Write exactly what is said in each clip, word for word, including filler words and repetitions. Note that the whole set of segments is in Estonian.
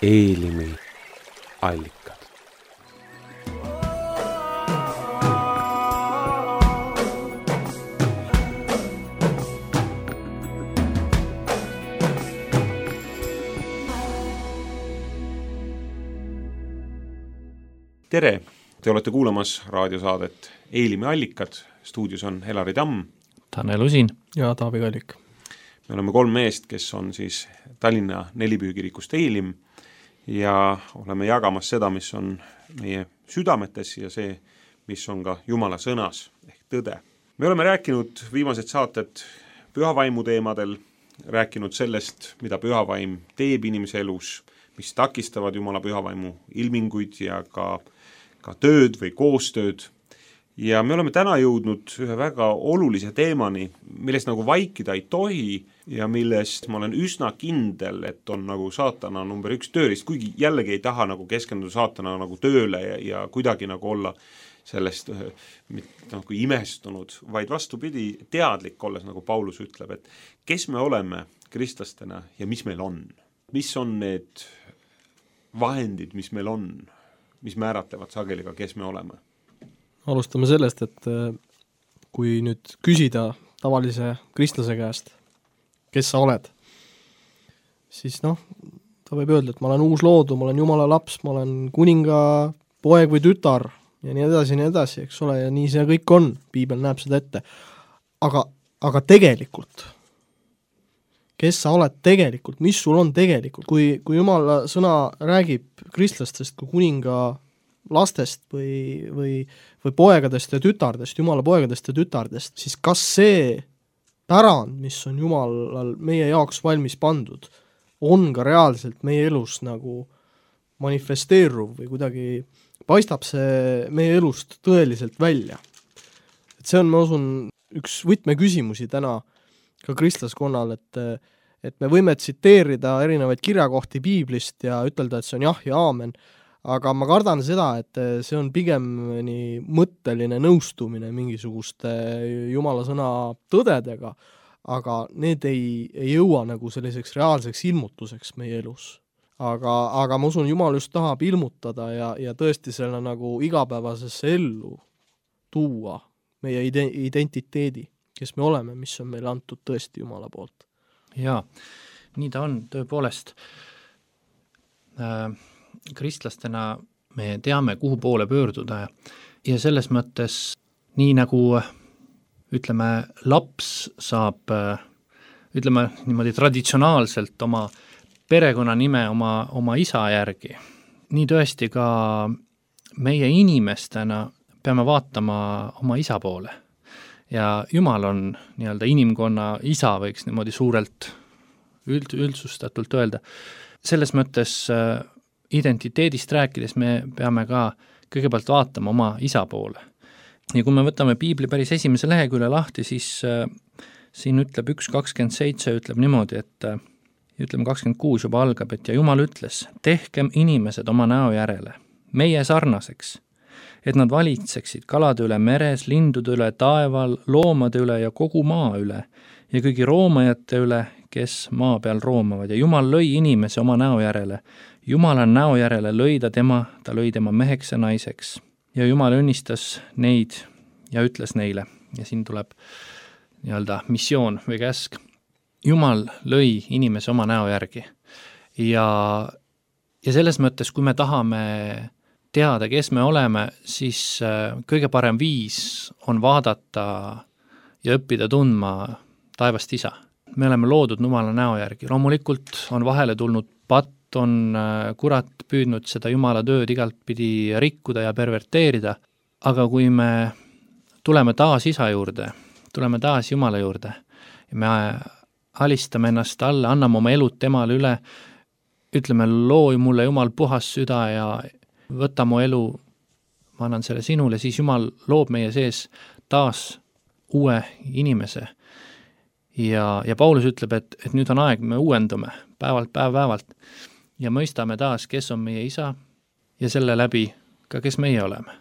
Eelimi allikad. Tere! Te olete kuulamas raadiosaadet Eelimi allikad. Stuudios on Helari Tamm, Tanel Usin ja Taavi Kallik. Me oleme kolm meest, kes on siis Tallinna nelipüügirikust Eelim ja oleme jagamas seda, mis on meie südametes ja see, mis on ka Jumala sõnas ehk tõde. Me oleme rääkinud viimased saated pühavaimu teemadel, rääkinud sellest, mida pühavaim teeb inimese elus, mis takistavad Jumala pühavaimu ilminguid ja ka, ka tööd või koostööd. Ja me oleme täna jõudnud ühe väga olulise teemani, millest nagu vaikida ei tohi ja millest ma olen üsna kindel, et on nagu saatana number üks tööriist, kuigi jällegi ei taha nagu keskenduda saatana nagu tööle ja, ja kuidagi nagu olla sellest nagu imestunud, vaid vastupidi teadlik olles, nagu Paulus ütleb, et kes me oleme kristlastena ja mis meil on. Mis on need vahendid, mis meil on, mis määratlevad sageli ka, kes me oleme. Alustame sellest, et kui nüüd küsida tavalise kristlase käest, kes sa oled, siis noh, ta võib öelda, et ma olen uus loodu, ma olen Jumala laps, ma olen kuninga poeg või tütar ja nii edasi, nii edasi, eks ole, ja nii see kõik on, piibel näeb seda ette. Aga, aga tegelikult, kes sa oled tegelikult, mis sul on tegelikult, kui, kui Jumala sõna räägib kristlastest kui kuninga lastest või, või, või poegadest ja tütardest, Jumala poegadest ja tütardest, siis kas see pärand, mis on Jumalal meie jaoks valmis pandud, on ka reaalselt meie elus nagu manifesteeruv või kuidagi paistab see meie elust tõeliselt välja. Et see on, ma usun, üks võtmeküsimusi täna ka kristlaskonnal, et, et me võime tsiteerida erinevaid kirjakohti piiblist ja ütelda, et see on jah ja aamen, aga ma kardan seda, et see on pigem nii mõtteline nõustumine mingisuguste Jumala sõna tõdedega, aga need ei, ei jõua nagu selliseks reaalseks ilmutuseks meie elus. Aga, aga ma usun, Jumal just tahab ilmutada ja, ja tõesti selle nagu igapäevasesse ellu tuua meie identiteedi, kes me oleme, mis on meile antud tõesti Jumala poolt. Jaa, nii ta on tõepoolest. Äh, kristlastena me teame, kuhu poole pöörduda ja selles mõttes nii nagu ütleme, laps saab ütleme niimoodi traditsionaalselt oma perekonnanime oma, oma isa järgi, nii tõesti ka meie inimestena peame vaatama oma isa poole ja Jumal on nii-öelda inimkonna isa, võiks niimoodi suurelt üld, üldsustatult öelda. Selles mõttes identiteedist rääkides me peame ka kõigepealt vaatama oma isa poole. Ja kui me võtame piibli päris esimese lehekülje lahti, siis äh, siin ütleb üks kakskümmend seitse, ütleb niimoodi, et äh, ütleme kakskümmend kuus juba algab, et ja Jumal ütles, tehkem inimesed oma näo järele, meie sarnaseks, et nad valitseksid kalade üle meres, lindude üle taeval, loomade üle ja kogu maa üle ja kõigi roomajate üle, kes maa peal roomavad ja Jumal lõi inimese oma näo järele. Jumala näo järele lõi ta tema, ta lõi tema meheks ja naiseks ja Jumal õnnistas neid ja ütles neile ja siin tuleb nii-öelda missioon või käsk. Jumal lõi inimese oma näo järgi ja, ja selles mõttes, kui me tahame teada, kes me oleme, siis kõige parem viis on vaadata ja õppida tundma taevast isa. Me oleme loodud Jumala näo järgi. Loomulikult on vahele tulnud patt, on kurat püüdnud seda Jumala tööd igalt pidi rikkuda ja perverteerida, aga kui me tuleme taas isa juurde, tuleme taas Jumala juurde ja me alistame ennast alla, anname oma elud temale üle, ütleme, loo mulle Jumal puhas süda ja võta mu elu, ma annan selle sinule, siis Jumal loob meie sees taas uue inimese. Ja, ja Paulus ütleb, et, et nüüd on aeg, me uuendume päevalt päev päevalt ja mõistame taas, kes on meie isa ja selle läbi ka, kes meie oleme.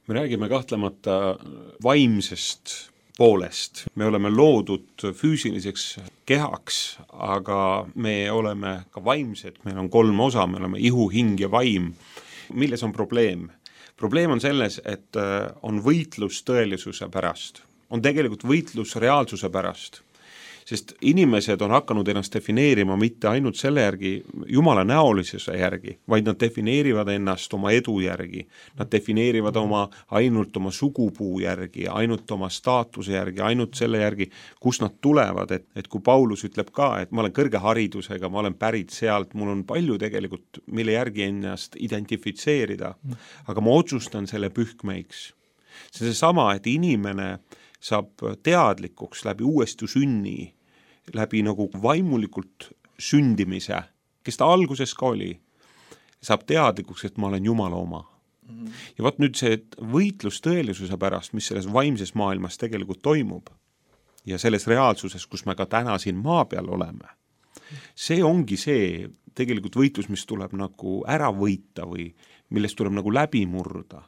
Me räägime kahtlemata vaimsest poolest. Me oleme loodud füüsiliseks kehaks, aga me oleme ka vaimsed, meil on kolm osa, me oleme ihu, hing ja vaim. Milles on probleem? Probleem on selles, et on võitlus tõelisuse pärast. On tegelikult võitlus reaalsuse pärast. Sest inimesed on hakanud ennast defineerima mitte ainult selle järgi, Jumala näolisuse järgi, vaid nad defineerivad ennast oma edu järgi. Nad defineerivad oma ainult oma sugupuu järgi, ainult oma staatuse järgi, ainult selle järgi, kus nad tulevad. Et, et kui Paulus ütleb ka, et ma olen kõrge haridusega, ma olen pärit sealt, mul on palju tegelikult, mille järgi ennast identifitseerida, aga ma otsustan selle pühkmeiks. See on sama, et inimene saab teadlikuks läbi uuesti sünni, läbi nagu vaimulikult sündimise, kes ta alguses ka oli, saab teadlikuks, et ma olen Jumala oma. Mm-hmm. Ja vaat nüüd see võitlus tõelisuse pärast, mis selles vaimses maailmas tegelikult toimub ja selles reaalsuses, kus me ka täna siin maa peal oleme, see ongi see tegelikult võitlus, mis tuleb nagu ära võita või millest tuleb nagu läbi murda.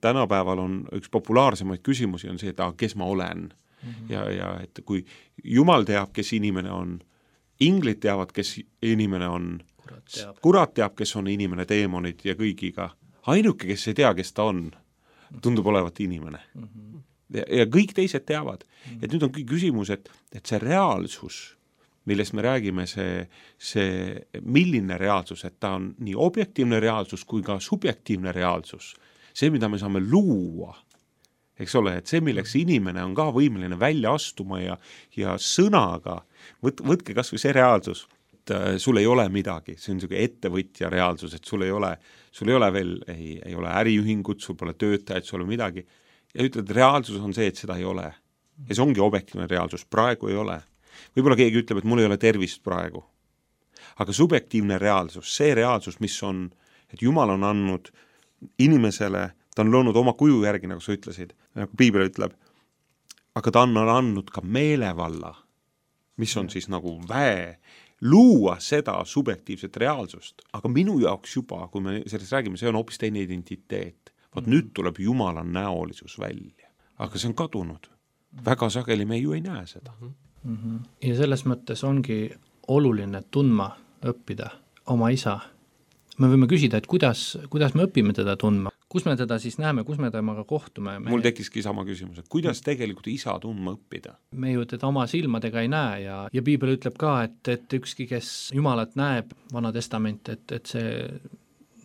Tänapäeval on üks populaarsemaid küsimusi on see, et ah, kes ma olen. Mm-hmm. Ja, ja et kui Jumal teab, kes inimene on, inglid teavad, kes inimene on, kurat teab, kurat teab kes on inimene, teemonid ja kõigiga. Ainuke, kes ei tea, kes ta on, tundub olevat inimene. Mm-hmm. Ja, ja kõik teised teavad. Mm-hmm. Et nüüd on küsimus, et, et see reaalsus, millest me räägime, see, see milline reaalsus, et ta on nii objektiivne reaalsus kui ka subjektiivne reaalsus. See, mida me saame luua, eks ole, et see, milleks inimene on ka võimeline välja astuma ja, ja sõnaga, võt, võtke kas või see reaalsus, et äh, sul ei ole midagi, see on niisugune ettevõtja reaalsus, et sul ei ole, sul ei ole veel, ei, ei ole äriühingut, sul pole töötajad, sul on midagi, ja ütled, reaalsus on see, et seda ei ole. Ja see ongi objektiivne reaalsus, praegu ei ole. Võib-olla keegi ütleb, et mul ei ole tervist praegu. Aga subjektiivne reaalsus, see reaalsus, mis on, et Jumal on andnud inimesele, ta on loonud oma kuju järgi, nagu sa ütlesid, nagu Piibel ütleb, aga ta on andnud ka meelevalla, mis on siis nagu väe, luua seda subjektiivset reaalsust, aga minu jaoks juba, kui me sellest räägime, see on hoopis teine identiteet. Vaat mm-hmm. nüüd tuleb Jumala näolisus välja, aga see on kadunud. Väga sageli me ju ei näe seda. Mm-hmm. Ja selles mõttes ongi oluline tundma õppida oma isa. Me võime küsida, et kuidas, kuidas me õpime teda tundma, kus me teda siis näeme, kus me temaga kohtume. Me... Mul tekkiski sama küsimus, et kuidas tegelikult isa tundma õppida? Me ju teda oma silmadega ei näe ja, ja Piibel ütleb ka, et, et ükski, kes Jumalat näeb, Vana Testament, et, et see,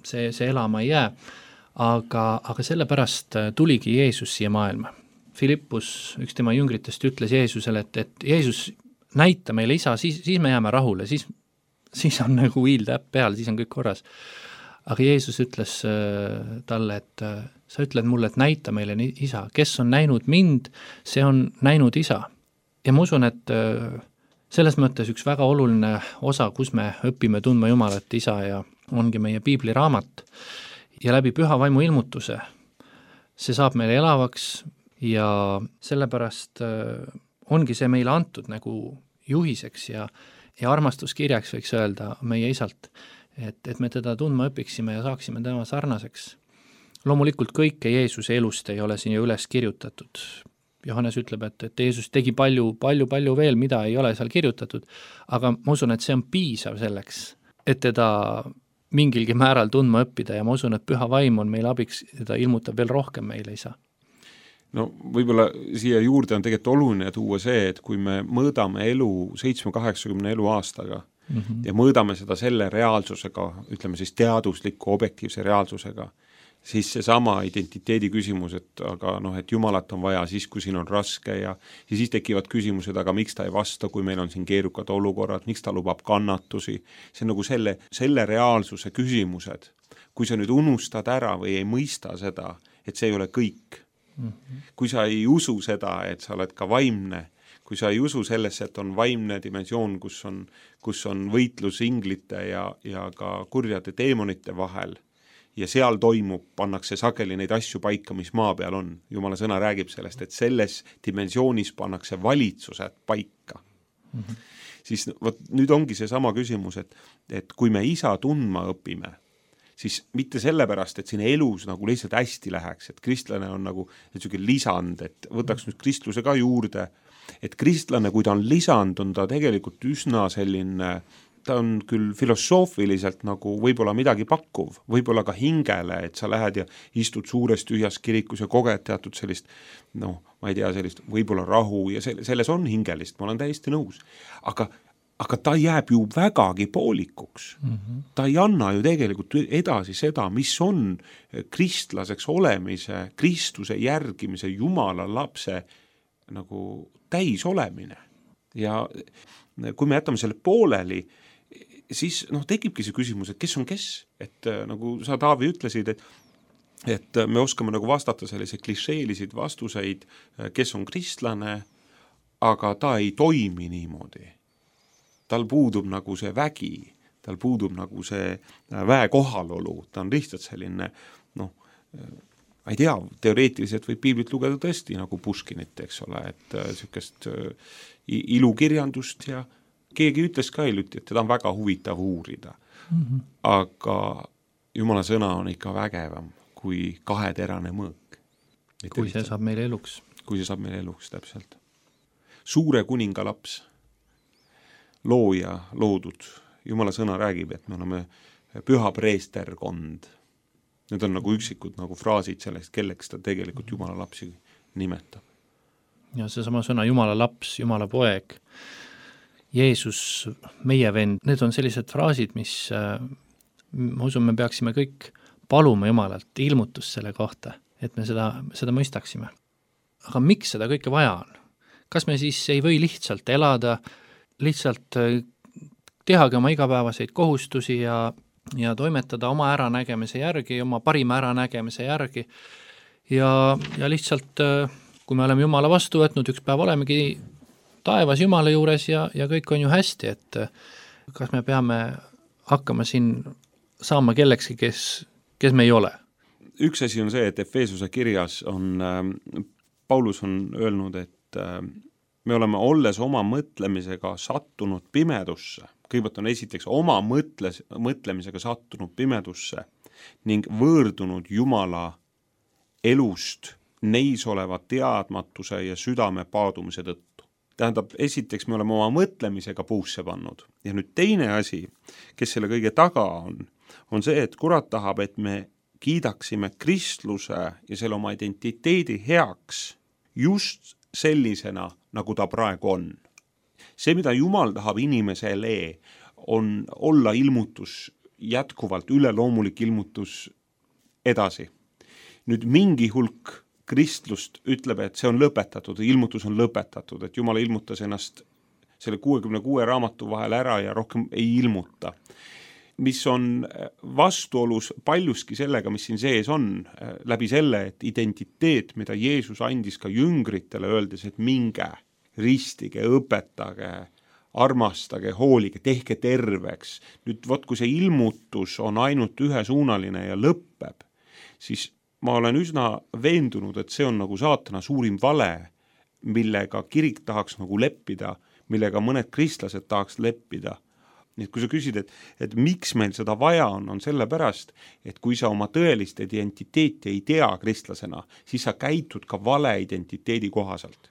see, see elama ei jää, aga, aga sellepärast tuligi Jeesus siia maailma. Filippus, üks tema jüngritest, ütles Jeesusele, et, et Jeesus näita meile isa, siis, siis me jääme rahule, siis siis on nagu hiiltäpp peal, siis on kõik korras. Aga Jeesus ütles äh, talle, et äh, sa ütled mulle, et näita meile isa. Kes on näinud mind, see on näinud isa. Ja ma usun, et äh, selles mõttes üks väga oluline osa, kus me õpime tundma Jumalat isa ja ongi meie piibliraamat ja läbi püha vaimu ilmutuse. See saab meile elavaks ja sellepärast äh, ongi see meile antud nagu juhiseks ja ja armastuskirjaks võiks öelda meie isalt, et, et me teda tundma õpiksime ja saaksime tema sarnaseks. Loomulikult kõike Jeesuse elust ei ole siin ju üles kirjutatud. Johannes ütleb, et, et Jeesus tegi palju, palju, palju veel, mida ei ole seal kirjutatud, aga ma usun, et see on piisav selleks, et teda mingilgi määral tundma õppida ja ma usun, et püha vaim on meil abiks, teda ilmutab veel rohkem meile isa. No võib-olla siia juurde on tegelikult oluline tuua see, et kui me mõõdame elu seitsme kaheksakümne elu aastaga mm-hmm. ja mõõdame seda selle reaalsusega, ütleme siis teadusliku objektiivse reaalsusega, siis see sama identiteedi küsimus, et aga noh, et Jumalat on vaja siis, kui siin on raske ja, ja siis tekivad küsimused, aga miks ta ei vasta, kui meil on siin keerukad olukorrad, miks ta lubab kannatusi, see on nagu selle, selle reaalsuse küsimused, kui sa nüüd unustad ära või ei mõista seda, et see ei ole kõik. Kui sa ei usu seda, et sa oled ka vaimne, kui sa ei usu sellesse, et on vaimne dimensioon, kus on, kus on võitlus inglite ja, ja ka kurjade teemonite vahel ja seal toimub, pannakse sageli neid asju paika, mis maa peal on. Jumala sõna räägib sellest, et selles dimensioonis pannakse valitsused paika. Mm-hmm. Siis võt, nüüd ongi see sama küsimus, et, et kui me isa tundma õpime, siis mitte sellepärast, et siin elus nagu lihtsalt hästi läheks, et kristlane on nagu niisugune lisand, et võtaks nüüd kristluse ka juurde, et kristlane, kui ta on lisand, on ta tegelikult üsna selline, ta on küll filosoofiliselt nagu võib-olla midagi pakkuv, võib-olla ka hingele, et sa lähed ja istud suures tühjas kirikus ja koged teatud sellist, noh, ma ei tea, sellist võib-olla rahu ja selles on hingelist, ma olen täiesti nõus. Aga, aga ta jääb ju vägagi poolikuks. Mm-hmm. Ta ei anna ju tegelikult edasi seda, mis on kristlaseks olemise, Kristuse järgimise, Jumala lapse nagu täis olemine. Ja kui me jätame selle pooleli, siis noh, tekibki see küsimus, et kes on kes, et nagu sa, Taavi, ütlesid, et, et me oskame nagu vastata sellise klišeelisid vastuseid, kes on kristlane, aga ta ei toimi niimoodi. Tal puudub nagu see vägi, tal puudub nagu see väe kohalolu, ta on lihtsalt selline, noh, ma ei tea, teoreetiliselt võib piiblit lugeda tõesti nagu Puškinit, eks ole, et niisugust ilukirjandust ja keegi ütles ka hiljuti, et teda on väga huvitav uurida. Mm-hmm. Aga Jumala sõna on ikka vägevam kui kaheterane mõõk. Kui see saab meile eluks. Kui see saab meile eluks, täpselt. Suure kuninga laps, looja, loodud. Jumala sõna räägib, et me oleme püha preesterkond. Need on nagu üksikud nagu fraasid sellest, kelleks ta tegelikult Jumala lapsi nimetab. Ja see sama sõna Jumala laps, Jumala poeg, Jeesus, meie vend, need on sellised fraasid, mis ma usun, me peaksime kõik paluma Jumalalt ilmutust selle kohta, et me seda, seda mõistaksime. Aga miks seda kõike vaja on? Kas me siis ei või lihtsalt elada, lihtsalt tehagi oma igapäevaseid kohustusi ja, ja toimetada oma äranägemise järgi, oma parima äranägemise järgi ja, ja lihtsalt, kui me oleme Jumala vastu võtnud, üks päev olemegi taevas Jumala juures ja, ja kõik on ju hästi, et kas me peame hakkama siin saama kellekski, kes, kes me ei ole? Üks asi on see, et Efeesuse kirjas on, äh, Paulus on öelnud, et äh, me oleme olles oma mõtlemisega sattunud pimedusse. Kõigepealt on esiteks oma mõtles, mõtlemisega sattunud pimedusse ning võõrdunud Jumala elust neis oleva teadmatuse ja südame paadumise tõttu. Tähendab, esiteks me oleme oma mõtlemisega puusse pannud. Ja nüüd teine asi, kes selle kõige taga on, on see, et kurat tahab, et me kiidaksime kristluse ja selle oma identiteedi heaks just sellisena, nagu ta praegu on. See, mida Jumal tahab inimesele, on olla ilmutus, jätkuvalt üleloomulik ilmutus edasi. Nüüd mingi hulk kristlust ütleb, et see on lõpetatud, ilmutus on lõpetatud, et Jumal ilmutas ennast selle kuuekümne kuue raamatu vahel ära ja rohkem ei ilmuta. Mis on vastuolus paljuski sellega, mis siin sees on, läbi selle, et identiteet, mida Jeesus andis ka jüngritele, öeldes, et minge, ristige, õpetage, armastage, hoolige, tehke terveks. Nüüd, võt, kui see ilmutus on ainult ühesuunaline ja lõppeb, siis ma olen üsna veendunud, et see on nagu saatana suurim vale, millega kirik tahaks nagu leppida, millega mõned kristlased tahaks leppida. Nii et kui sa küsid, et, et miks meil seda vaja on, on sellepärast, et kui sa oma tõelist identiteeti ei tea kristlasena, siis sa käitud ka vale identiteedi kohaselt.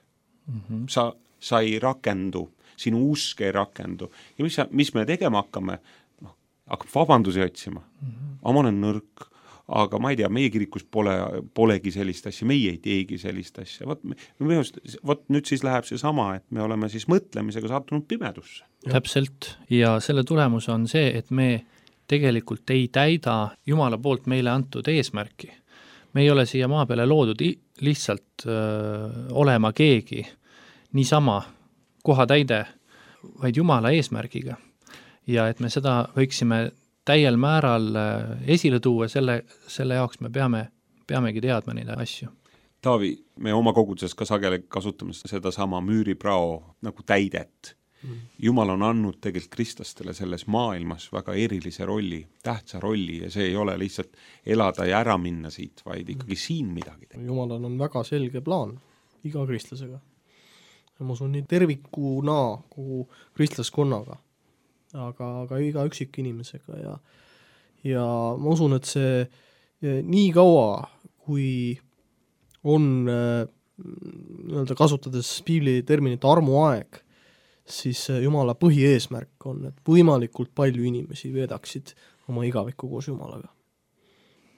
Mm-hmm. Sa, sa ei rakendu, sinu usk ei rakendu. Ja mis, mis me tegema hakkame? No, hakkab vabandusi otsima. Mm-hmm. Ma olen nõrk. Aga ma ei tea, meie kirikus pole, polegi sellist asja, meie ei teegi sellist asja. Vot, me, vot nüüd siis läheb see sama, et me oleme siis mõtlemisega sattunud pimedusse. Täpselt, ja selle tulemus on see, et me tegelikult ei täida Jumala poolt meile antud eesmärki. Me ei ole siia maa peale loodud lihtsalt öö, olema keegi niisama kohatäide, vaid Jumala eesmärgiga. Ja et me seda võiksime täiel määral esile tuua, selle, selle jaoks me peame, peamegi teadma neid asju. Taavi, me oma koguduses ka sageli kasutame seda sama müüriprao nagu täidet. Mm. Jumal on andnud tegelikult kristlastele selles maailmas väga erilise rolli, tähtsa rolli ja see ei ole lihtsalt elada ja ära minna siit, vaid ikkagi mm. siin midagi teha. Jumalal on väga selge plaan iga kristlasega. Ja ma usun nii tervikuna kogu kristlaskonnaga. Aga, aga iga üksik inimesega ja, ja ma usun, et see nii kaua, kui on nii-öelda kasutades piibli terminit armuaeg, siis Jumala põhieesmärk on, et võimalikult palju inimesi veedaksid oma igavikku koos Jumalaga.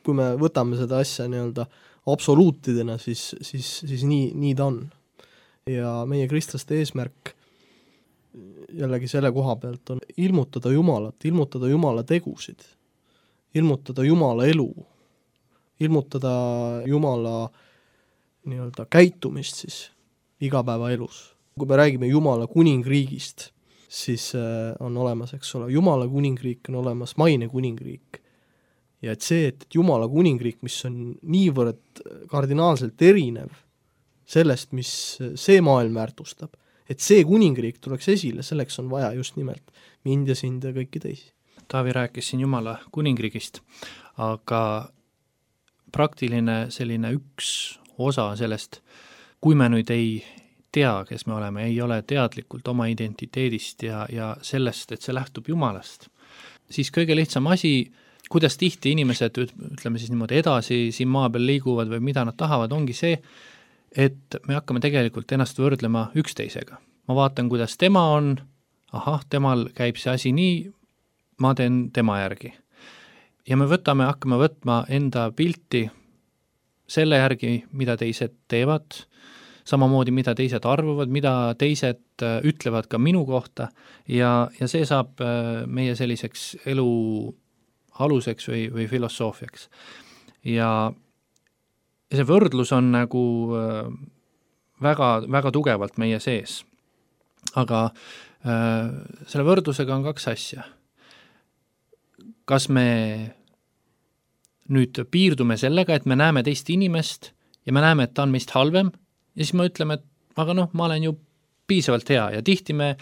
Kui me võtame seda asja nii-öelda absoluutidena, siis, siis, siis nii, nii ta on. Ja meie kristlaste eesmärk jällegi selle koha pealt on ilmutada Jumalat, ilmutada Jumala tegusid, ilmutada Jumala elu, ilmutada Jumala nii-öelda käitumist siis igapäevaelus. Kui me räägime Jumala kuningriigist, siis on olemas, eks ole, Jumala kuningriik, on olemas maine kuningriik. Ja et see, et Jumala kuningriik, mis on niivõrd kardinaalselt erinev sellest, mis see maailm väärtustab, et see kuningriik tuleks esile, selleks on vaja just nimelt mind ja sind ja kõiki teisi. Taavi rääkis siin Jumala kuningriigist, aga praktiline selline üks osa sellest, kui me nüüd ei tea, kes me oleme, ei ole teadlikult oma identiteedist ja, ja sellest, et see lähtub Jumalast, siis kõige lihtsam asi, kuidas tihti inimesed, ütleme siis niimoodi edasi siin maa peal liiguvad või mida nad tahavad, ongi see, et me hakkame tegelikult ennast võrdlema üksteisega. Ma vaatan, kuidas tema on, ahah, temal käib see asi nii, ma teen tema järgi. Ja me võtame, hakkame võtma enda pilti selle järgi, mida teised teevad, samamoodi mida teised arvavad, mida teised ütlevad ka minu kohta ja, ja see saab meie selliseks elu aluseks või, või filosoofiaks. Ja see võrdlus on nagu väga, väga tugevalt meie sees. Aga äh, selle võrdlusega on kaks asja. Kas me nüüd piirdume sellega, et me näeme teist inimest ja me näeme, et ta on meist halvem ja siis me ütleme, et aga noh, ma olen ju piisavalt hea ja tihti me,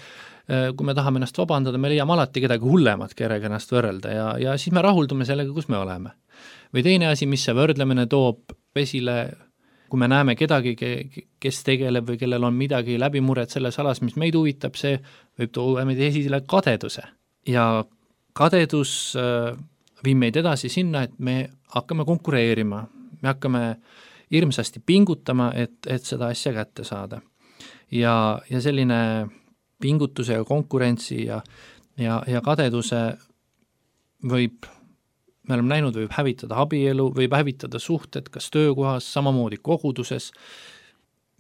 kui me tahame ennast vabandada, me leiame alati kedagi hullemat, kellega ennast võrrelda ja, ja siis me rahuldume sellega, kus me oleme. Või teine asi, mis see võrdlemine toob esile, kui me näeme kedagi, kes tegeleb või kellel on midagi läbimuret selles alas, mis meid huvitab, see võib tuua meid esile kadeduse. Ja kadedus viib meid edasi sinna, et me hakkame konkureerima, me hakkame hirmsasti pingutama, et, et seda asja kätte saada. Ja, ja selline pingutuse ja konkurentsi ja, ja, ja kadeduse võib, me oleme näinud, võib hävitada abielu, võib hävitada suhted, kas töökohas, samamoodi koguduses.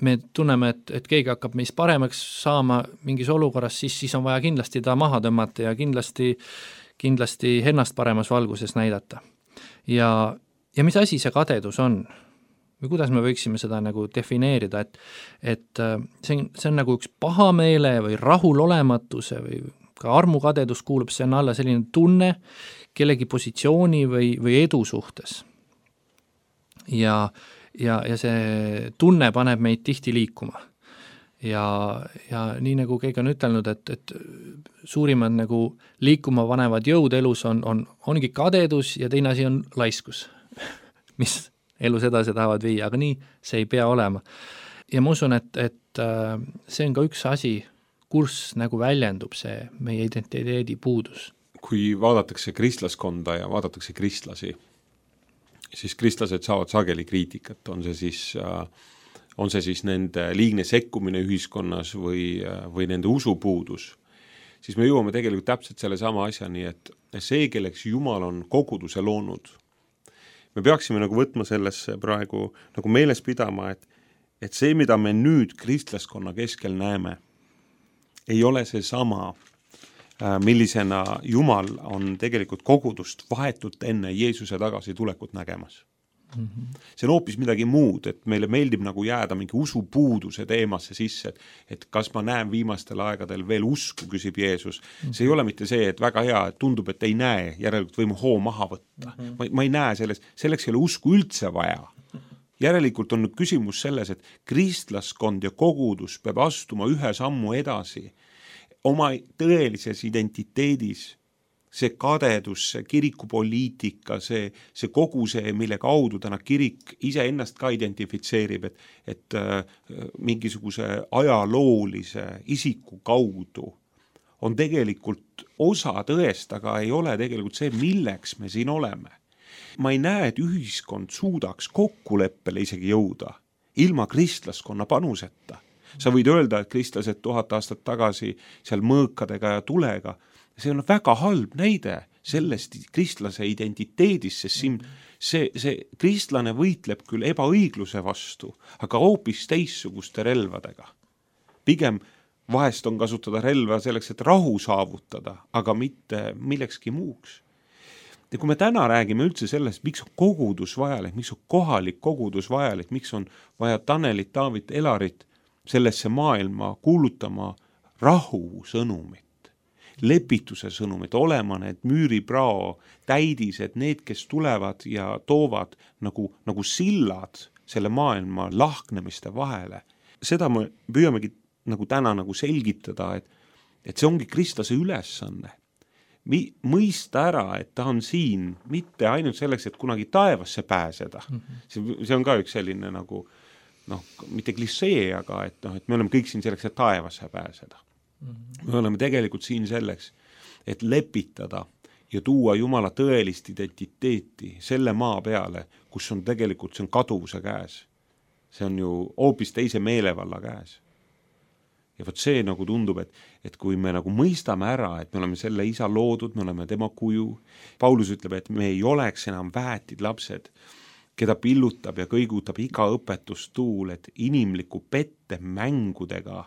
Me tunneme, et, et keegi hakkab meist paremaks saama mingis olukorras, siis, siis on vaja kindlasti ta maha tõmmata ja kindlasti kindlasti ennast paremas valguses näidata. Ja, ja mis asi see kadedus on? Või kuidas me võiksime seda nagu defineerida, et, et see on, see on nagu üks pahameele või rahulolematuse või ka armukadedus kuulub sinna alla selline tunne kellegi positsiooni või, või edu suhtes. Ja, ja, ja see tunne paneb meid tihti liikuma. Ja, ja nii nagu keegi on ütelnud, et, et suurimad nagu liikuma panevad jõud elus on, on, ongi kadedus ja teine asi on laiskus, mis elus edasi tahavad viia, aga nii see ei pea olema. Ja ma usun, et, et see on ka üks asi, kus nagu väljendub see meie identiteedi puudus. Kui vaadatakse kristlaskonda ja vaadatakse kristlasi, siis kristlased saavad sageli kriitikat, on see siis äh, on see siis nende liigne sekkumine ühiskonnas või, või nende usupuudus, siis me jõuame tegelikult täpselt selle sama asjani, et see, kelleks Jumal on koguduse loonud, me peaksime nagu võtma sellesse praegu nagu meeles pidama, et, et see, mida me nüüd kristlaskonna keskel näeme, ei ole see sama, millisena Jumal on tegelikult kogudust vahetult enne Jeesuse tagasi tulekut nägemas. Mm-hmm. See on hoopis midagi muud, et meile meeldib nagu jääda mingi usupuuduse teemasse sisse, et, et kas ma näen viimastel aegadel veel usku, küsib Jeesus. Mm-hmm. See ei ole mitte see, et väga hea, et tundub, et ei näe, järelikult võime hoo maha võtta. Mm-hmm. Ma, ma ei näe selles, selleks ei ole usku üldse vaja. Järelikult on nüüd küsimus selles, et kristlaskond ja kogudus peab astuma ühe sammu edasi oma tõelises identiteedis. See kadedus, see kirikupoliitika, see, see kogu see, mille kaudu täna kirik ise ennast ka identifitseerib, et, et äh, mingisuguse ajaloolise isiku kaudu on tegelikult osa tõest, aga ei ole tegelikult see, milleks me siin oleme. Ma ei näe, et ühiskond suudaks kokkuleppele isegi jõuda ilma kristlaskonna panuseta. Sa võid öelda, et kristlased tuhat aastat tagasi seal mõõkadega ja tulega, see on väga halb näide sellest kristlase identiteedist, sest siin see, see kristlane võitleb küll ebaõigluse vastu, aga hoopis teissuguste relvadega. Pigem vahest on kasutada relva selleks, et rahu saavutada, aga mitte millekski muuks. Ja kui me täna räägime üldse sellest, miks on kogudus vajalik, miks on kohalik kogudus vajalik, miks on vaja Tanelit, Taavit, Elarit sellesse maailma kuulutama rahu sõnumit, lepituse sõnumit, olema need müüriprao täidised, need, kes tulevad ja toovad nagu, nagu sillad selle maailma lahknemiste vahele. Seda me püüamegi nagu täna nagu selgitada, et, et see ongi kristlase ülesanne. Mi, mõista ära, et ta on siin mitte ainult selleks, et kunagi taevasse pääseda. Mm-hmm. See, see on ka üks selline nagu, noh, mitte klissee, aga et, noh, et me oleme kõik siin selleks, et taevasse pääseda. Mm-hmm. Me oleme tegelikult siin selleks, et lepitada ja tuua Jumala tõelist identiteeti selle maa peale, kus on tegelikult, see on kaduvuse käes. See on ju hoopis teise meelevalla käes. Ja võt see nagu tundub, et, et kui me nagu mõistame ära, et me oleme selle isa loodud, me oleme tema kuju. Paulus ütleb, et me ei oleks enam väetid lapsed, keda pillutab ja kõigutab iga õpetustuul, et inimliku pette mängudega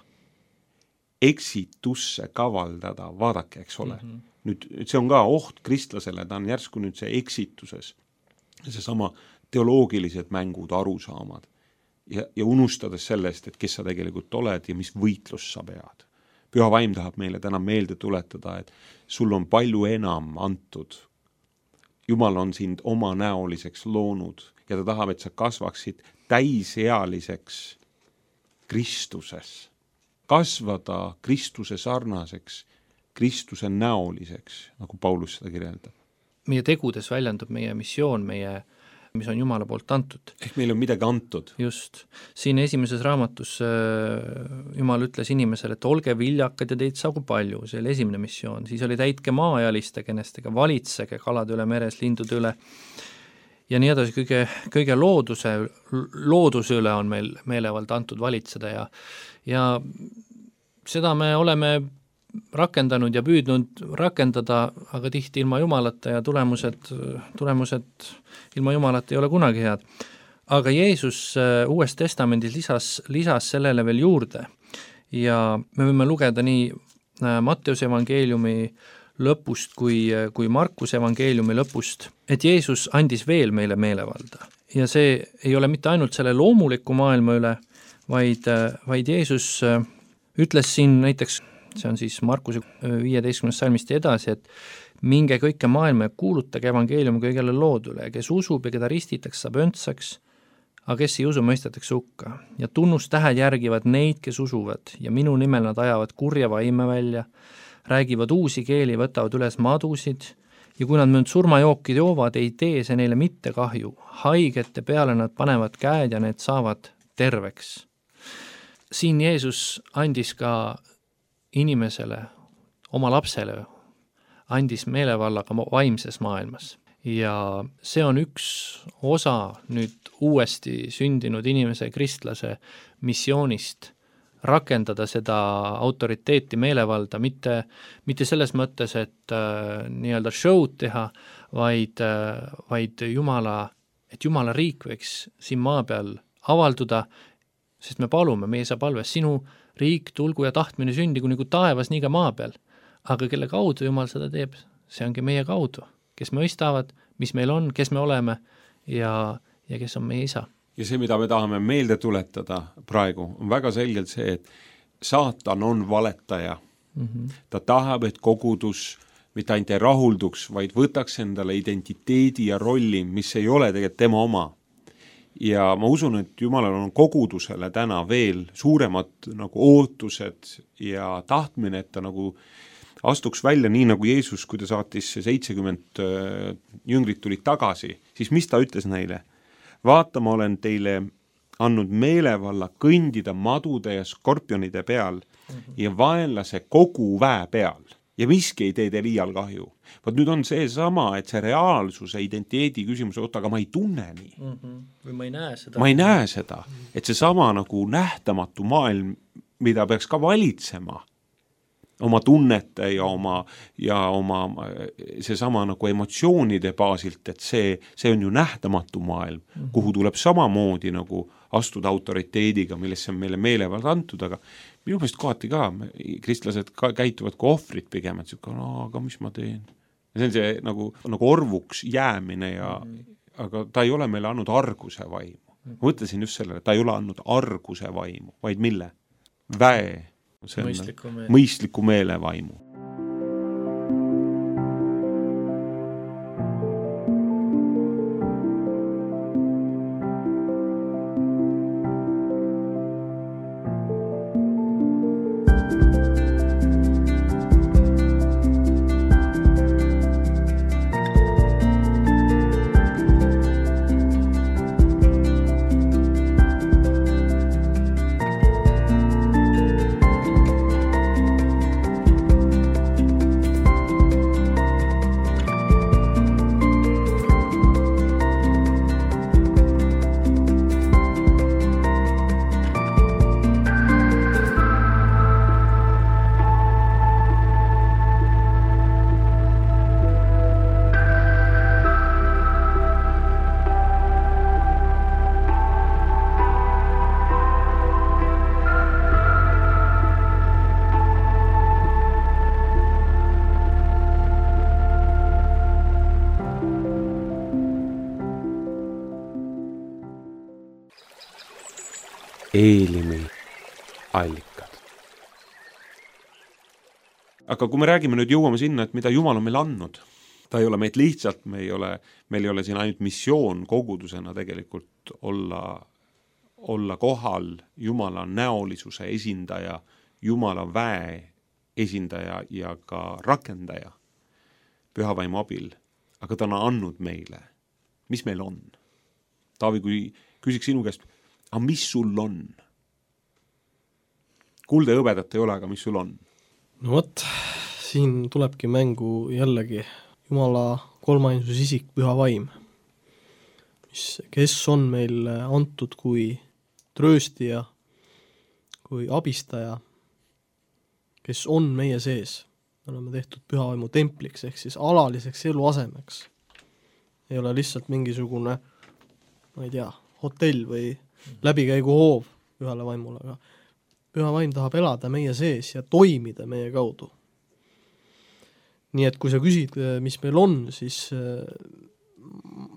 eksitusse kavaldada, vaadake, eks ole. Mm-hmm. Nüüd see on ka oht kristlasele, ta on järsku nüüd see eksituses, see sama teoloogilised mängud, arusaamad. Ja, ja unustades sellest, et kes sa tegelikult oled ja mis võitlus sa pead. Püha vaim tahab meile täna meelde tuletada, et sul on palju enam antud. Jumal on sind oma näoliseks loonud ja ta tahab, et sa kasvaksid täisealiseks Kristuses. Kasvada Kristuse sarnaseks, Kristuse näoliseks, nagu Paulus seda kirjeldab. Meie tegudes väljendub meie missioon, meie mis on Jumala poolt antud. Ehk meil on midagi antud. Just. Siin esimeses raamatus Jumal ütles inimesele, et olge viljakad ja teid saagu palju, see oli esimene missioon. Siis oli täitke maaealiste kenestega, valitsege kalade üle meres, lindude üle ja nii edasi, kõige, kõige looduse, looduse üle on meil meelevald antud valitseda ja, ja seda me oleme rakendanud ja püüdnud rakendada, aga tihti ilma Jumalata ja tulemused, tulemused ilma Jumalata ei ole kunagi head. Aga Jeesus Uues Testamendis lisas, lisas sellele veel juurde ja me võime lugeda nii Matteuse evangeeliumi lõpust kui, kui Markuse evangeeliumi lõpust, et Jeesus andis veel meile meelevalda. Ja see ei ole mitte ainult selle loomuliku maailma üle, vaid, vaid Jeesus ütles siin näiteks see on siis Markuse viieteistkümnest salmist edasi, et minge kõike maailma ja kuulutage evangeeliumi kõigele loodule, kes usub ja keda ristitakse, saab öntsaks, aga kes ei usu, mõistetakse hukka. Ja tunnustähed järgivad neid, kes usuvad ja minu nimel nad ajavad kurja vaime välja, räägivad uusi keeli, võtavad üles madusid ja kui nad möönd surmajooki joovad, ei tee see neile mitte kahju. Haigete peale nad panevad käed ja need saavad terveks. Siin Jeesus andis ka inimesele, oma lapsele, andis meelevallaga vaimses maailmas. Ja see on üks osa nüüd uuesti sündinud inimese kristlase missioonist rakendada seda autoriteeti meelevalda, mitte, mitte selles mõttes, et äh, nii-öelda show'd teha, vaid, äh, vaid Jumala, et Jumala riik võiks siin maa peal avalduda, sest me palume, meie saab palves sinu riik, tulgu ja tahtmine sündigu nagu taevas, nii ka maa peal. Aga kelle kaudu Jumal seda teeb, see ongi meie kaudu, kes mõistavad, mis meil on, kes me oleme ja, ja kes on meie isa. Ja see, mida me tahame meelde tuletada praegu, on väga selgelt see, et saatan on valetaja. Mm-hmm. Ta tahab, et kogudus mitte ainult ei rahulduks, vaid võtaks endale identiteedi ja rolli, mis ei ole tegelikult tema oma. Ja ma usun, et Jumalal on kogudusele täna veel suuremad nagu ootused ja tahtmine, et ta nagu astuks välja nii nagu Jeesus, kui ta saatis seitsekümmend jüngrit tulid tagasi, siis mis ta ütles neile? Vaata, ma olen teile andnud meelevalla kõndida madude ja skorpionide peal mm-hmm. ja vaenlase kogu väe peal. Ja miski ei tee teil iial kahju. Vaat nüüd on see sama, et see reaalsuse identiteedi küsimus, oota, aga ma ei tunne nii. Mm-hmm. Või ma ei näe seda. Ma ei näe seda, et see sama nagu nähtamatu maailm, mida peaks ka valitsema, oma tunnete ja oma, ja oma see sama nagu emotsioonide baasilt, et see, see on ju nähtamatu maailm, mm-hmm. kuhu tuleb samamoodi nagu astuda autoriteediga, millesse on meile meelevald antud, aga minu meelest kohati ka, kristlased ka käituvad kui ohvrid pigem, et siuke, no aga mis ma teen? Ja see on see nagu, nagu orvuks jäämine, ja, mm-hmm. aga ta ei ole meile andnud arguse vaimu. Mm-hmm. Ma mõtlesin just sellele, ta ei ole andnud arguse vaimu, vaid mille? Väe, see on mõistliku, meele. mõistliku meele vaimu. Eelimi allikad. Aga kui me räägime nüüd, jõuame sinna, et mida Jumal on meile andnud, ta ei ole meid lihtsalt, me ei ole, meil ei ole siin ainult missioon kogudusena tegelikult olla, olla kohal Jumala näolisuse esindaja, Jumala väe esindaja ja ka rakendaja pühavaimu abil, aga ta on andnud meile. Mis meil on? Taavi, kui küsiks sinu käest, aga mis sul on? Kulde hõbedat ei ole, aga mis sul on? No võt, siin tulebki mängu jällegi Jumala kolmainsus isik, püha vaim, mis, kes on meil antud kui trööstija, kui abistaja, kes on meie sees. Me oleme tehtud püha vaimu templiks, ehk siis alaliseks eluasemeks. Ei ole lihtsalt mingisugune, ma ei tea, hotell või läbikäigu hoov pühale vaimule, aga püha vaim tahab elada meie sees ja toimida meie kaudu. Nii et kui sa küsid, mis meil on, siis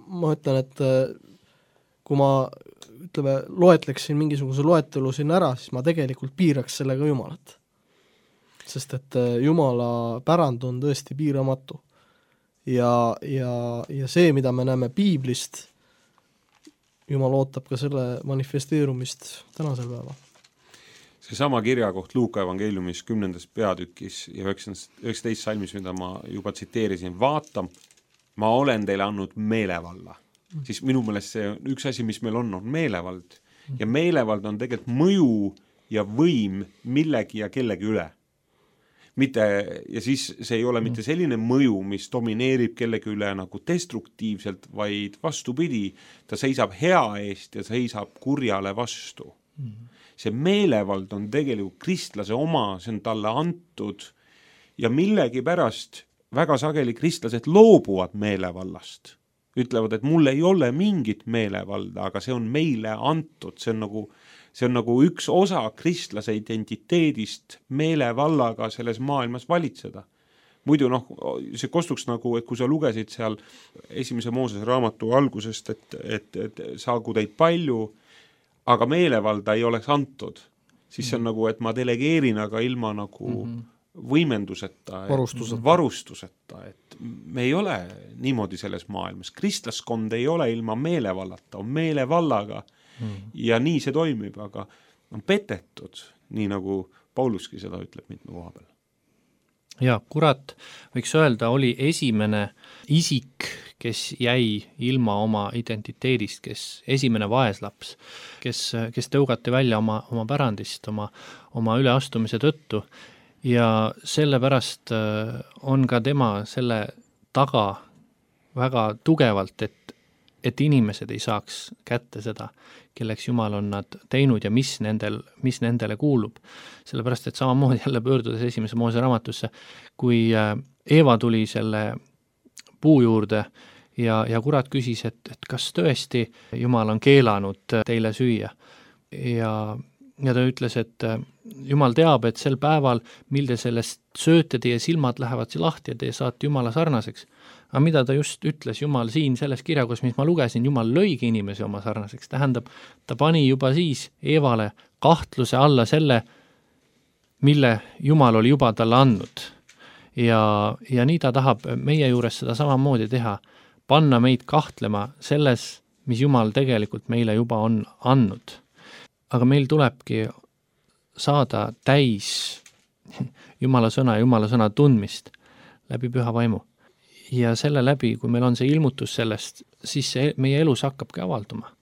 ma ütlen, et kui ma ütleme, loetleksin mingisuguse loetelu siin ära, siis ma tegelikult piiraks sellega Jumalat. Sest et Jumala pärand on tõesti piiramatu. Ja, ja, ja see, mida me näeme piiblist, Jumal ootab ka selle manifesteerumist tänasel päeval. See sama kirjakoht Luuka evangeeliumis kümnendas peatükis ja üheksateist salmis, mida ma juba tsiteerisin, vaata, ma olen teile andnud meelevalla. Mm. Siis minu meelest see üks asi, mis meil on, on meelevald. Mm. Ja meelevald on tegelikult mõju ja võim millegi ja kellegi üle. Mitte, ja siis see ei ole mitte selline mõju, mis domineerib kellegi üle nagu destruktiivselt, vaid vastupidi, ta seisab hea eest ja seisab kurjale vastu. Mm. See meelevald on tegelikult kristlase oma, see on talle antud ja millegi pärast väga sageli kristlased loobuvad meelevallast. Ütlevad, et mul ei ole mingit meelevalda, aga see on meile antud, see on nagu See on nagu üks osa kristlase identiteedist meelevallaga selles maailmas valitseda. Muidu noh, see kostuks nagu, et kui sa lugesid seal esimese Moosese raamatu algusest, et, et, et saagu teid palju, aga meelevalda ei oleks antud, siis see on nagu, et ma delegeerin, aga ilma nagu mm-hmm. võimenduseta, varustuseta. varustuseta, et me ei ole niimoodi selles maailmas. Kristlaskond ei ole ilma meelevallata, on meelevallaga. Hmm. Ja nii see toimib, aga on petetud, nii nagu Pauluski seda ütleb mitme koha peal. Ja kurat, võiks öelda, oli esimene isik, kes jäi ilma oma identiteedist, kes esimene vaeslaps, kes, kes tõugati välja oma, oma pärandist, oma, oma üleastumise tõttu ja sellepärast on ka tema selle taga väga tugevalt, et et inimesed ei saaks kätte seda, kelleks Jumal on nad teinud ja mis, nendel, mis nendele kuulub. Sellepärast, et samamoodi jälle pöördudes esimese Moose raamatusse, kui Eeva tuli selle puu juurde ja, ja kurat küsis, et, et kas tõesti Jumal on keelanud teile süüa. Ja, ja ta ütles, et Jumal teab, et sel päeval, mil te sellest sööte, teie silmad lähevad lahti ja te saate Jumala sarnaseks. Aga mida ta just ütles Jumal siin selles kirjakus, mis ma lugesin, Jumal lõigi inimesi oma sarnaseks, tähendab, ta pani juba siis Eevale kahtluse alla selle, mille Jumal oli juba talle andnud. Ja, ja nii ta tahab meie juures seda samamoodi teha, panna meid kahtlema selles, mis Jumal tegelikult meile juba on andnud. Aga meil tulebki saada täis Jumala sõna ja Jumala sõna tundmist läbi püha vaimu. Ja selle läbi, kui meil on see ilmutus sellest, siis see meie elus hakkabki avalduma.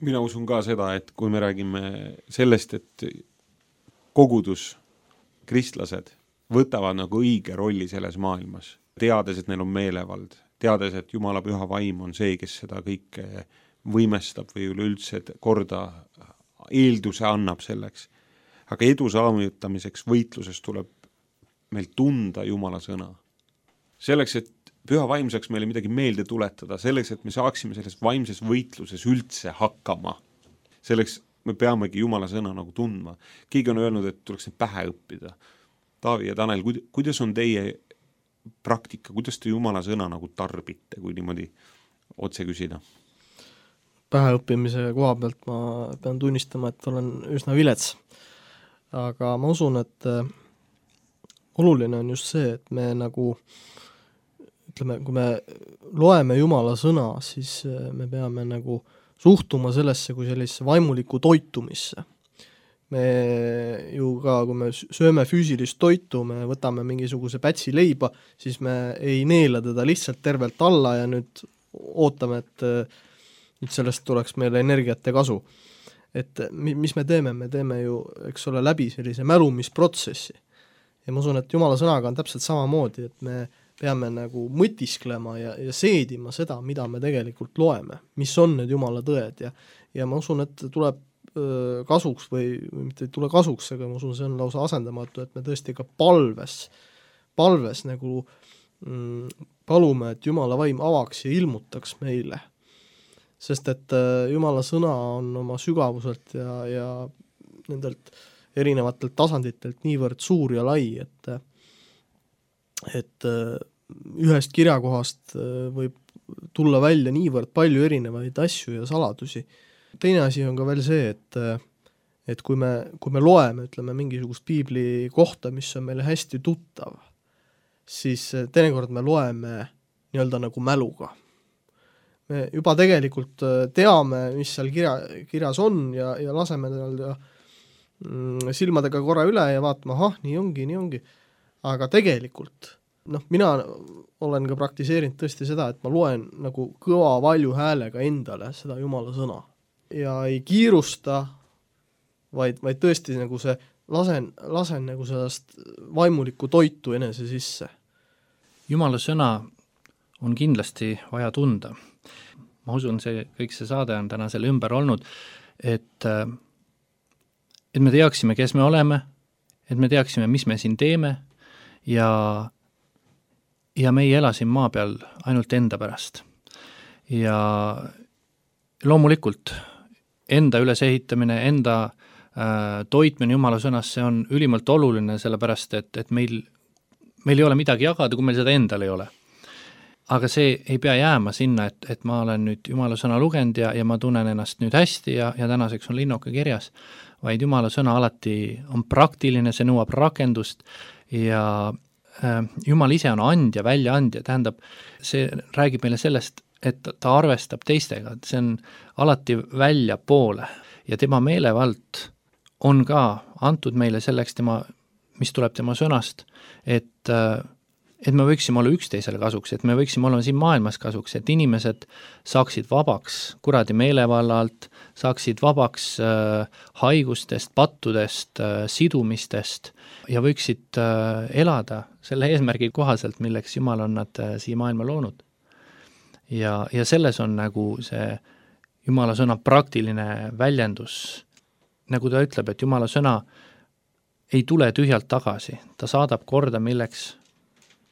Mina usun ka seda, et kui me räägime sellest, et kogudus, kristlased võtavad nagu õige rolli selles maailmas, teades, et neil on meelevald, teades, et Jumala püha vaim on see, kes seda kõike võimestab või üleüldse korda eelduse annab selleks. Aga edu saavutamiseks võitluses tuleb meil tunda Jumala sõna. Selleks, et püha vaim saaks meile midagi meelde tuletada, selleks, et me saaksime selles vaimses võitluses üldse hakkama. Selleks me peamegi Jumala sõna nagu tundma. Keegi on öelnud, et tuleks need pähe õppida. Taavi ja Tanel, kuidas on teie praktika, kuidas te Jumala sõna nagu tarbite, kui niimoodi otse küsida? Pähe õppimise koha pealt ma pean tunnistama, et olen üsna vilets. Aga ma usun, et oluline on just see, et me nagu ütleme, kui me loeme Jumala sõna, siis me peame nagu suhtuma sellesse kui sellisesse vaimulikku toitumisse. Me ju ka, kui me sööme füüsilist toitu, me võtame mingisuguse pätsi leiba, siis me ei neela teda lihtsalt tervelt alla ja nüüd ootame, et nüüd sellest tuleks meile energiat ja kasu. Et mis me teeme? Me teeme ju, eks ole, läbi sellise mälumisprotsessi. Ja ma usun, et Jumala sõnaga on täpselt samamoodi, et me peame nagu mõtisklema ja, ja seedima seda, mida me tegelikult loeme, mis on need Jumala tõed ja, ja ma usun, et tuleb öö, kasuks või, või mitte ei tule kasuks, aga ma usun, see on lausa asendamatu, et me tõesti ka palves, palves nagu mm, palume, et Jumala vaim avaks ja ilmutaks meile. Sest et öö, Jumala sõna on oma sügavuselt ja, ja nendelt erinevatelt tasanditelt niivõrd suur ja lai, et et ühest kirjakohast võib tulla välja niivõrd palju erinevaid asju ja saladusi. Teine asi on ka veel see, et, et kui me, kui me loeme, ütleme, mingisugust piibli kohta, mis on meile hästi tuttav, siis teinekord me loeme nii-öelda nagu mäluga. Me juba tegelikult teame, mis seal kirja, kirjas on ja, ja laseme nii-öelda silmadega korra üle ja vaatame, ahah, nii ongi, nii ongi. Aga tegelikult, noh, mina olen ka praktiseerinud tõesti seda, et ma loen nagu kõva valju häälega endale seda Jumala sõna. Ja ei kiirusta, vaid, vaid tõesti nagu see, lasen, lasen nagu sellest vaimulikku toitu enese sisse. Jumala sõna on kindlasti vaja tunda. Ma usun, see, kõik see saade on täna selle ümber olnud, et, et me teaksime, kes me oleme, et me teaksime, mis me siin teeme, ja, ja me ei ela siin maa peal ainult enda pärast. Ja loomulikult enda ülesehitamine, enda äh, toitmine Jumala sõnas, see on ülimalt oluline, sellepärast et, et meil, meil ei ole midagi jagada, kui meil seda endal ei ole. Aga see ei pea jääma sinna, et, et ma olen nüüd Jumala sõna lugenud ja, ja ma tunnen ennast nüüd hästi ja, ja tänaseks on linnuke kirjas, vaid Jumala sõna alati on praktiline, see nõuab rakendust ja äh, Jumal ise on andja, väljaandja, tähendab, see räägib meile sellest, et ta arvestab teistega, et see on alati välja poole ja tema meelevald on ka antud meile selleks, tema, mis tuleb tema sõnast, et, et me võiksime olla üksteisele kasuks, et me võiksime olla siin maailmas kasuks, et inimesed saaksid vabaks kuradi meelevallalt, saaksid vabaks äh, haigustest, pattudest äh,, sidumistest ja võiksid äh, elada selle eesmärgi kohaselt, milleks Jumal on nad äh, siia maailma loonud. Ja, ja selles on nagu see Jumala sõna praktiline väljendus, nagu ta ütleb, et Jumala sõna ei tule tühjalt tagasi, ta saadab korda, milleks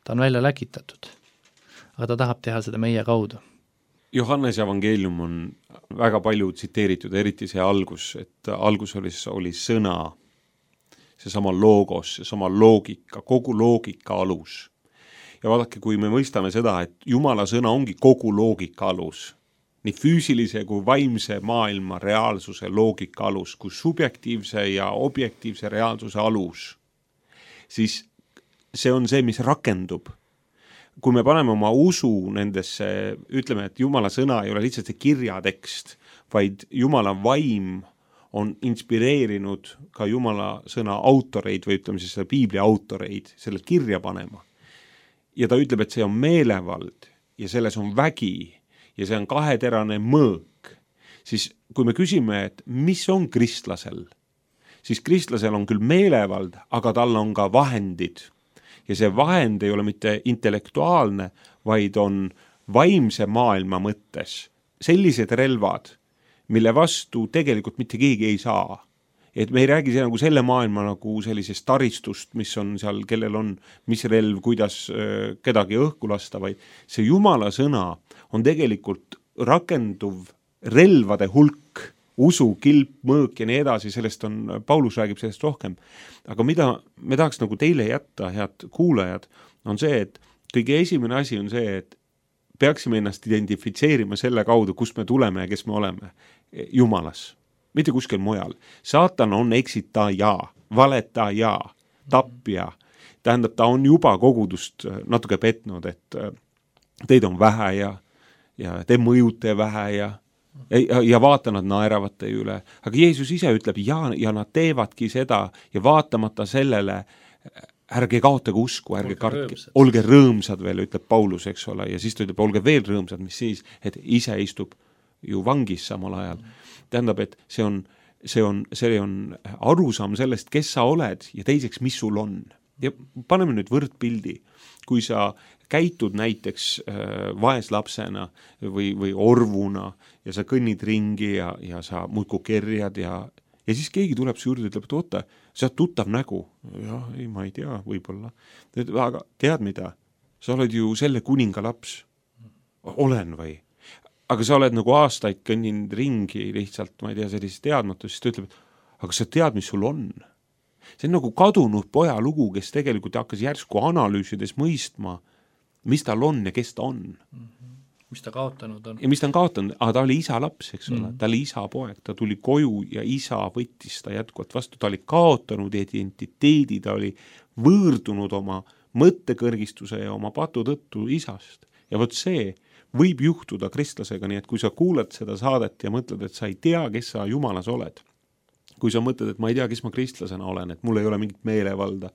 ta on välja läkitatud, aga ta tahab teha seda meie kaudu. Johannese evangeelium on väga palju tsiteeritud, eriti see algus, et algus oli, oli sõna, see sama logos, see sama loogika, kogu loogika alus. Ja vaadake, kui me mõistame seda, et Jumala sõna ongi kogu loogika alus, nii füüsilise kui vaimse maailma reaalsuse loogika alus, kui subjektiivse ja objektiivse reaalsuse alus, siis see on see, mis rakendub. Kui me paneme oma usu nendesse, ütleme, et Jumala sõna ei ole lihtsalt see kirjatekst, vaid Jumala vaim on inspireerinud ka Jumala sõna autoreid või ütleme siis selle Piibli autoreid selle kirja panema. Ja ta ütleb, et see on meelevald ja selles on vägi ja see on kaheterane mõõk. Siis kui me küsime, et mis on kristlasel, siis kristlasel on küll meelevald, aga tal on ka vahendid. Ja see vahend ei ole mitte intellektuaalne, vaid on vaimse maailma mõttes sellised relvad, mille vastu tegelikult mitte keegi ei saa. Et me ei räägi see nagu selle maailma nagu sellisest taristust, mis on seal, kellel on mis relv, kuidas äh, kedagi õhku lasta, vaid see Jumala sõna on tegelikult rakenduv relvade hulk, usu, kilp, mõõk ja nii edasi, sellest on, Paulus räägib sellest rohkem. Aga mida me tahaks nagu teile jätta, head kuulajad, on see, et kõige esimene asi on see, et peaksime ennast identifitseerima selle kaudu, kust me tuleme ja kes me oleme. Jumalas, mitte kuskil mujal. Saatan on eksitaja, valetaja, tapja. Tähendab, ta on juba kogudust natuke petnud, et teid on vähe ja, ja te mõjute vähe ja Ja, ja vaata, nad naeravad teie üle. Aga Jeesus ise ütleb, ja, ja nad teevadki seda ja vaatamata sellele, ärge kaotage usku, ärge kartke, olge rõõmsad veel, ütleb Paulus, eks ole, ja siis ta ütleb, olge veel rõõmsad, mis siis, et ise istub ju vangis samal ajal. Tähendab, et see on, see on, see on arusaam sellest, kes sa oled ja teiseks, mis sul on. Ja paneme nüüd võrdpildi, kui sa käitud näiteks äh, vaeslapsena või, või orvuna ja sa kõnnid ringi ja, ja sa muudku kerjad ja, ja siis keegi tuleb su juurde ja ütleb, et oota, sa oled tuttav nägu. Jah, ei, ma ei tea, võib-olla. Aga tead mida? Sa oled ju selle kuninga laps. Olen või? Aga sa oled nagu aastaid kõnninud ringi lihtsalt, ma ei tea, sellist teadmatus, siis ta ütleb, et aga sa tead, mis sul on? See on nagu kadunud poja lugu, kes tegelikult hakkas järsku analüüsides mõistma, mis tal on ja kes ta on. Mm-hmm. Mis ta kaotanud on. Ja mis ta on kaotanud, aga ta oli isa laps, eks ole, mm-hmm. ta oli isa poeg, ta tuli koju ja isa võttis ta jätkuvalt vastu, ta oli kaotanud identiteedi, ta oli võõrdunud oma mõttekõrgistuse ja oma patu tõttu isast. Ja võt see võib juhtuda kristlasega, nii et kui sa kuulad seda saadet ja mõtled, et sa ei tea, kes sa Jumalas oled, kui sa mõtled, et ma ei tea, kes ma kristlasena olen, et mul ei ole mingit meelevalda,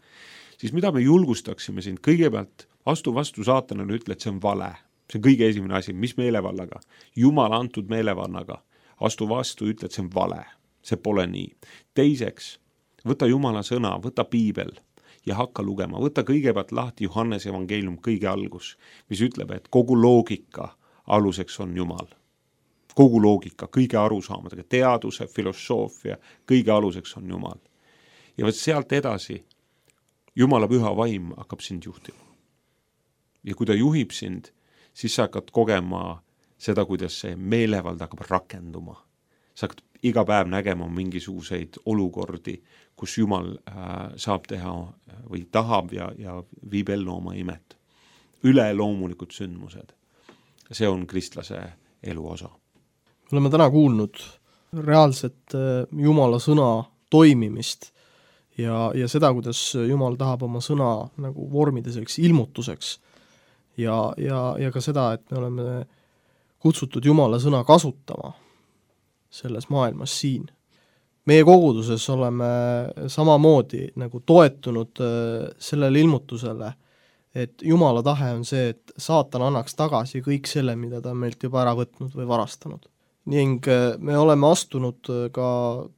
siis mida me julgustaksime sind? Kõigepealt astu vastu saatanale, ütle, et see on vale. See on kõige esimene asi, mis meelevallaga? Jumala antud meelevannaga. Astu vastu, ütle, et see on vale. See pole nii. Teiseks, võta Jumala sõna, võta piibel ja hakka lugema. Võta kõigepealt lahti Johannese evangeelium kõige algus, mis ütleb, et kogu loogika aluseks on Jumal. Kogu loogika, kõige arusaamadega, teaduse, filosoofia, kõige aluseks on Jumal. Ja võt sealt edasi Jumala püha vaim hakkab sind juhtima. Ja kui ta juhib sind, siis sa hakkad kogema seda, kuidas see meelevald hakkab rakenduma. Sa hakkad iga päev nägema mingisuguseid olukordi, kus Jumal äh, saab teha või tahab ja, ja viib ellu oma imet. Üleloomulikud sündmused. See on kristlase elu osa. Me oleme täna kuulnud reaalset Jumala sõna toimimist ja, ja seda, kuidas Jumal tahab oma sõna nagu vormida selleks ilmutuseks ja, ja, ja ka seda, et me oleme kutsutud Jumala sõna kasutama selles maailmas siin. Meie koguduses oleme samamoodi nagu toetunud sellele ilmutusele, et Jumala tahe on see, et saatan annaks tagasi kõik selle, mida ta on meilt juba ära võtnud või varastanud. Ning me oleme astunud ka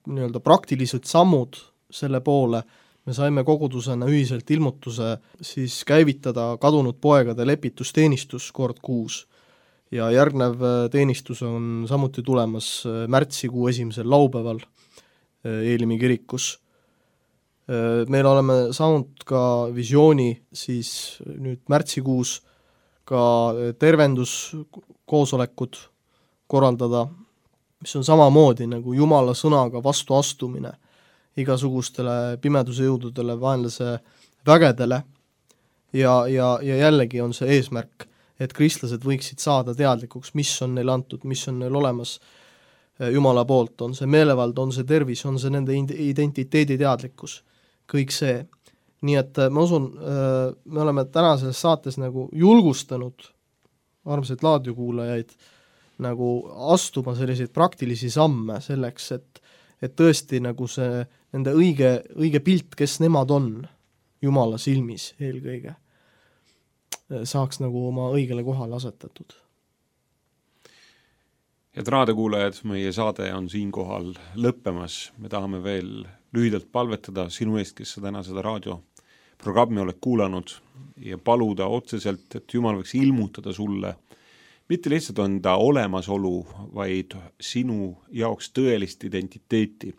nii-öelda praktilised sammud selle poole, me saime kogudusena ühiselt ilmutuse siis käivitada kadunud poegade lepitusteenistus kord kuus ja järgnev teenistus on samuti tulemas märtsikuu esimesel laupäeval Eelimi kirikus. Meil oleme saanud ka visiooni siis nüüd märtsikuus ka tervenduskoosolekud korraldada, mis on samamoodi nagu Jumala sõnaga vastu astumine igasugustele pimeduse jõududele, vaenlase vägedele ja, ja, ja jällegi on see eesmärk, et kristlased võiksid saada teadlikuks, mis on neil antud, mis on neil olemas Jumala poolt, on see meelevald, on see tervis, on see nende identiteedi teadlikkus, kõik see. Nii et ma usun, me oleme tänases saates nagu julgustanud armsaid raadiokuulajaid nagu astuma selliseid praktilisi samme selleks, et, et tõesti nagu see nende õige, õige pilt, kes nemad on Jumala silmis eelkõige, saaks nagu oma õigele kohale asetatud. Head raadiokuulajad, meie saade on siinkohal lõppemas. Me tahame veel lühidalt palvetada sinu eest, kes sa täna seda raadioprogrammi oled kuulanud ja paluda otseselt, et Jumal võiks ilmutada sulle mitte lihtsalt enda olemasolu, vaid sinu jaoks tõelist identiteeti.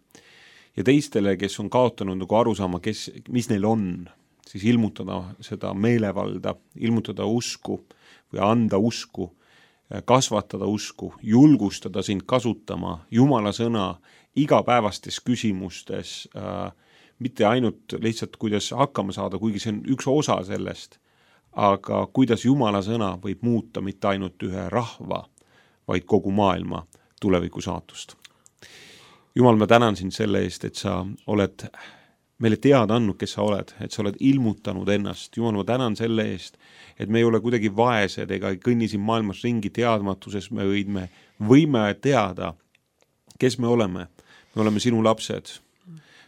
Ja teistele, kes on kaotanud nagu aru saama, kes, mis neil on, siis ilmutada seda meelevalda, ilmutada usku või anda usku, kasvatada usku, julgustada sind kasutama Jumala sõna igapäevastes küsimustes, äh, mitte ainult lihtsalt kuidas hakkama saada, kuigi see on üks osa sellest, aga kuidas Jumala sõna võib muuta mitte ainult ühe rahva, vaid kogu maailma tuleviku saatust. Jumal, ma tänan sind selle eest, et sa oled meile teada andnud, kes sa oled, et sa oled ilmutanud ennast. Jumal, ma tänan selle eest, et me ei ole kuidagi vaesed ega kõnni siin maailmas ringi teadmatuses, me võime, võime teada, kes me oleme. Me oleme sinu lapsed,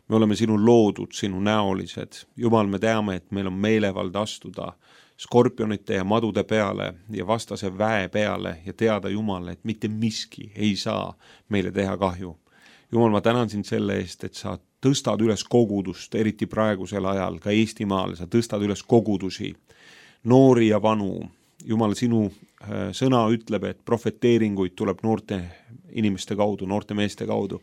me oleme sinu loodud, sinu näolised. Jumal, me teame, et meil on meelevald astuda skorpionite ja madude peale ja vastase väe peale ja teada Jumal, et mitte miski ei saa meile teha kahju. Jumal, ma tänan sind selle eest, et sa tõstad üles kogudust, eriti praegusel ajal, ka Eestimaal, sa tõstad üles kogudusi, noori ja vanu. Jumal, sinu sõna ütleb, et profeteeringuid tuleb noorte inimeste kaudu, noorte meeste kaudu.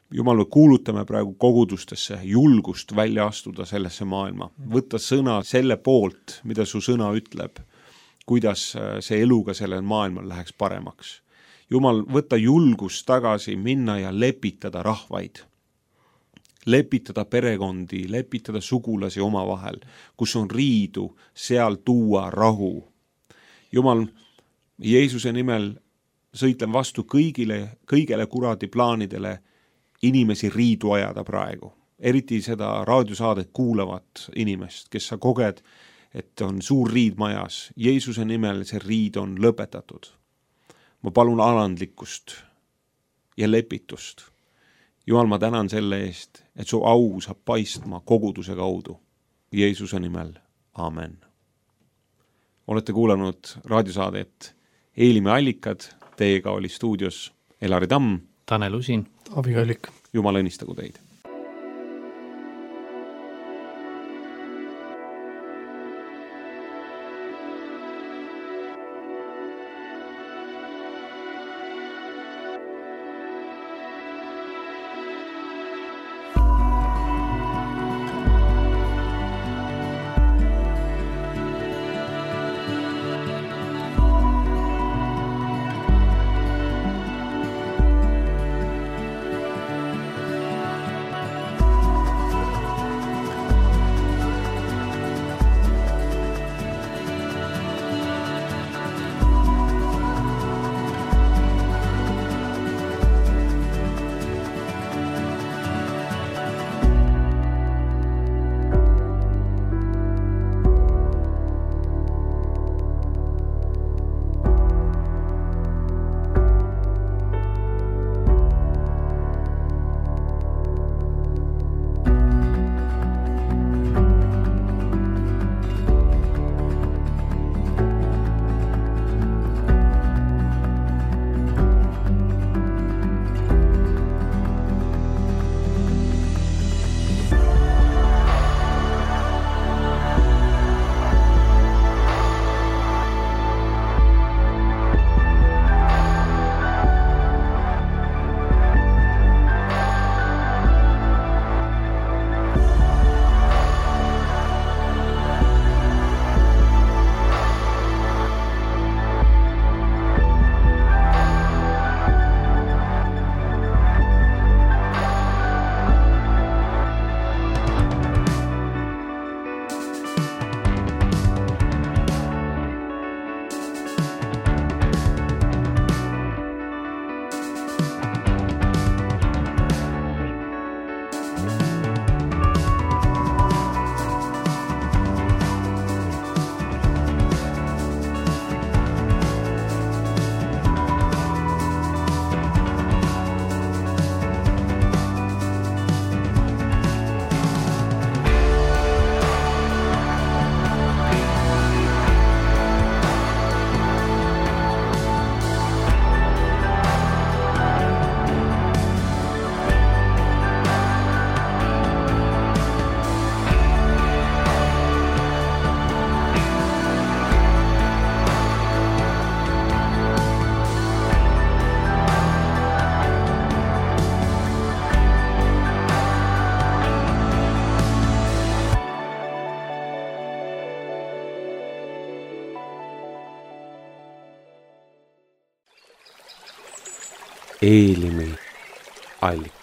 Jumal, me kuulutame praegu kogudustesse julgust välja astuda sellesse maailma. Võtta sõna selle poolt, mida su sõna ütleb, kuidas see eluga sellel maailmal läheks paremaks. Jumal, võtta julgust tagasi, minna ja lepitada rahvaid. Lepitada perekondi, lepitada sugulasi oma vahel, kus on riidu, seal tuua rahu. Jumal, Jeesuse nimel sõitlen vastu kõigile, kõigele kuradi plaanidele inimesi riidu ajada praegu. Eriti seda raadiosaadet kuulavat inimest, kes sa koged, et on suur riid majas. Jeesuse nimel see riid on lõpetatud. Ma palun alandlikkust ja lepitust. Jumal, ma tänan selle eest, et su au saab paistma koguduse kaudu. Jeesuse nimel. Amen. Olete kuulanud raadiosaadet Eelimi allikad. Teiega oli stuudios Elari Tamm, Tanel Usin, Avi Kallik. Jumal õnnistagu teid. Eelimi allikas.